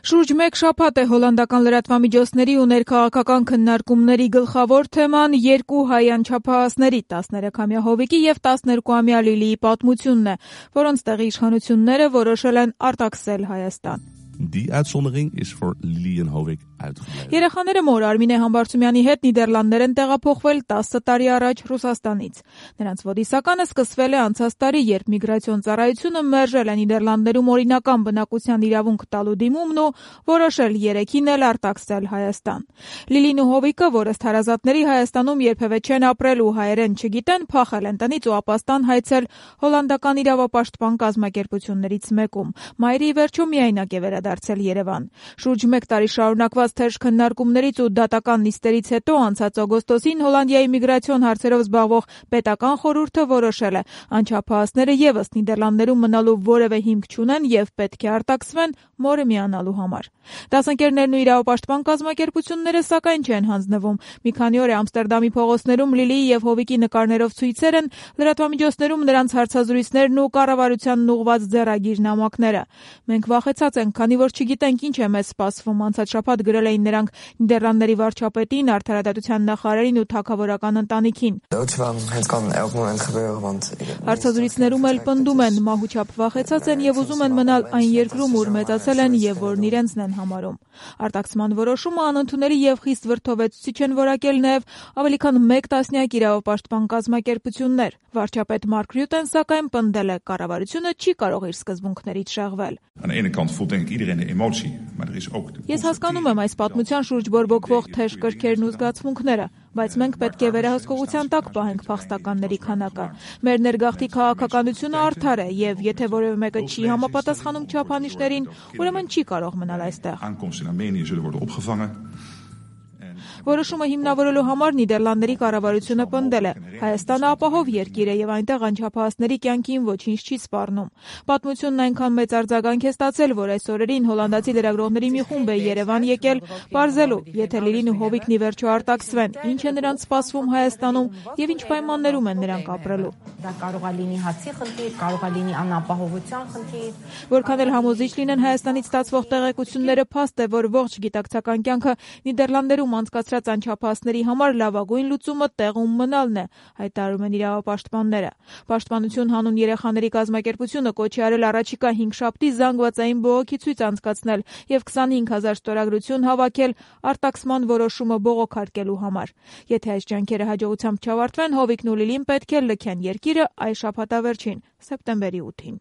Շուրջ մեկ շաբաթ է հոլանդական լրատվամիջոցների ու ներքաղաքական քննարկումների գլխավոր թեման երկու հայ անչափահասների՝ 13-ամյա Հովիկի և 12-ամյա Լիլիի պատմությունն է, որոնց տեղի իշխանությունները որոշել են արտաքսել Հայաստան։ Die uitzondering is voor Lili en Hovik uitgebleven. Երեխաները մոր Արմինե Համբարձումյանի հետ Նիդերլանդներ են տեղափոխվել 10 տարի առաջ Ռուսաստանից։ Նրանց ոդիսականը սկսվել է անցած տարի, երբ միգրացիոն ծառայությունը մերժել է Նիդերլանդներում օրինական բնակության իրավունք տալու դիմումն ու որոշել երեքին էլ արտաքսել Հայաստան։ Լիլին ու Հովիկը, որը թարազատների Հայաստանում երբևէ չեն ապրել ու հայերեն չգիտեն, փախել են տնից ու ապաստան հայցել հոլանդական իրավապաշտպան կազմակերպություններից մեկում։ Մայրի ի վերջո միայնակ է վերադարձել Երևան։ Շուրջ մեկ տարի շարունակված թեժ քննարկումներից ու դատական նիստերից հետո անցած օգոստոսին Հոլանդիայի միգրացիոն հարցերով զբաղվող պետական խորհուրդը որոշել է անչափահասները եւս Նիդերլանդներում մնալու որևէ հիմք չունեն եւ պետք է արտաքսվեն մորը միանալու համար։ Դասընկերներն ու իրավապաշտպան կազմակերպությունները սակայն չեն հանձնվում։ Մի քանի օր է Ամստերդամի փողոցներում Լիլիի եւ Հովիկի նկարներով ցույցեր են, լրատվամիջոցներում նրանց հարցազրույցներն ու կառավարությանն ուղղված ձեռագիր նամակները։ Մենք վախեցած ենք, քանի որ չգիտենք ինչ է մեզ սպասվում, անցած շաբաթ գրել էին նրանք Նիդերլանդների վարչապետին, արդարադատության նախարարին ու թագավորական ընտանիքին։ Հարցազրույցներում էլ պնդում են, մահուչափ վախեցած են եւ ուզում են մնալ այն երկրում, ուր մեծացել են եւ որն իրենցն են համարում։ Արտաքսման որոշումը անընդունելի եւ խիստ վրդովեցուցիչ են որակել նաեւ ավելի քան 1 տասնյակ իրավապաշտպան կազմակերպություններ։ Վարչապետ Մարկ Ռյուտեն սակայն պնդել է, կառավարությունը չի կարող իր սկզբունքներից շեղվել։ Ես հասկանում եմ այս պատմության շուրջ բորբոքվող թեժ կրքերն ու զգացմունքները, բայց մենք պետք է վերահսկողության տակ պահենք փախստականների քանակը։ Մեր ներգաղթի քաղաքականությունը արդար է եւ եթե որևէ մեկը չի համապատասխանում չափանիշներին, ուրեմն չի կարող մնալ այստեղ։ Որոշումը հիմնավորելու համար Նիդերլանդների կառավարությունը պնդել է. Հայաստանը ապահով երկիր է եւ այնտեղ անչափահասների կյանքին ոչինչ չի սպառնում։ Պատմությունն այնքան մեծ արձագանք է ստացել, որ այս օրերին հոլանդացի լրագրողների մի խումբ է Երևան եկել բարձելու, եթե Լիլին ու Հովիկն ի վերջո արտաքսվեն, ինչ է նրանց սպասվում Հայաստանում եւ ինչ պայմաններում են նրանք ապրելու։ Դա կարող է լինի հացի խնդիր, կարող է լինի անապահովության խնդիր։ Որքան էլ համոզիչ լինեն Հայաստանից ստացվող տեղեկությունները, փաստ է, որ ողջ գիտակցական կյանքը Նիդերլանդերում անցկացրած անչափահասների համար լավագույն լուծումը տեղում մնալն է, հայտարարում են իրավապաշտպանները։ Պաշտպանություն հանուն երեխաների կազմակերպությունը կոչ է արել առաջիկա 5 շաբթի զանգվածային բողոքի ցույց անցկացնել եւ 25,000 ստորագրություն հավաքել արտաքսման որոշումը բողոքարկելու համար։ Եթե այս ջանքերը հաջողությամբ չավարտվեն, Հովիկն ու Լիլին պետք է լքեն երկիրը այս շաբաթավերջին, սեպտեմբերի 8-ին։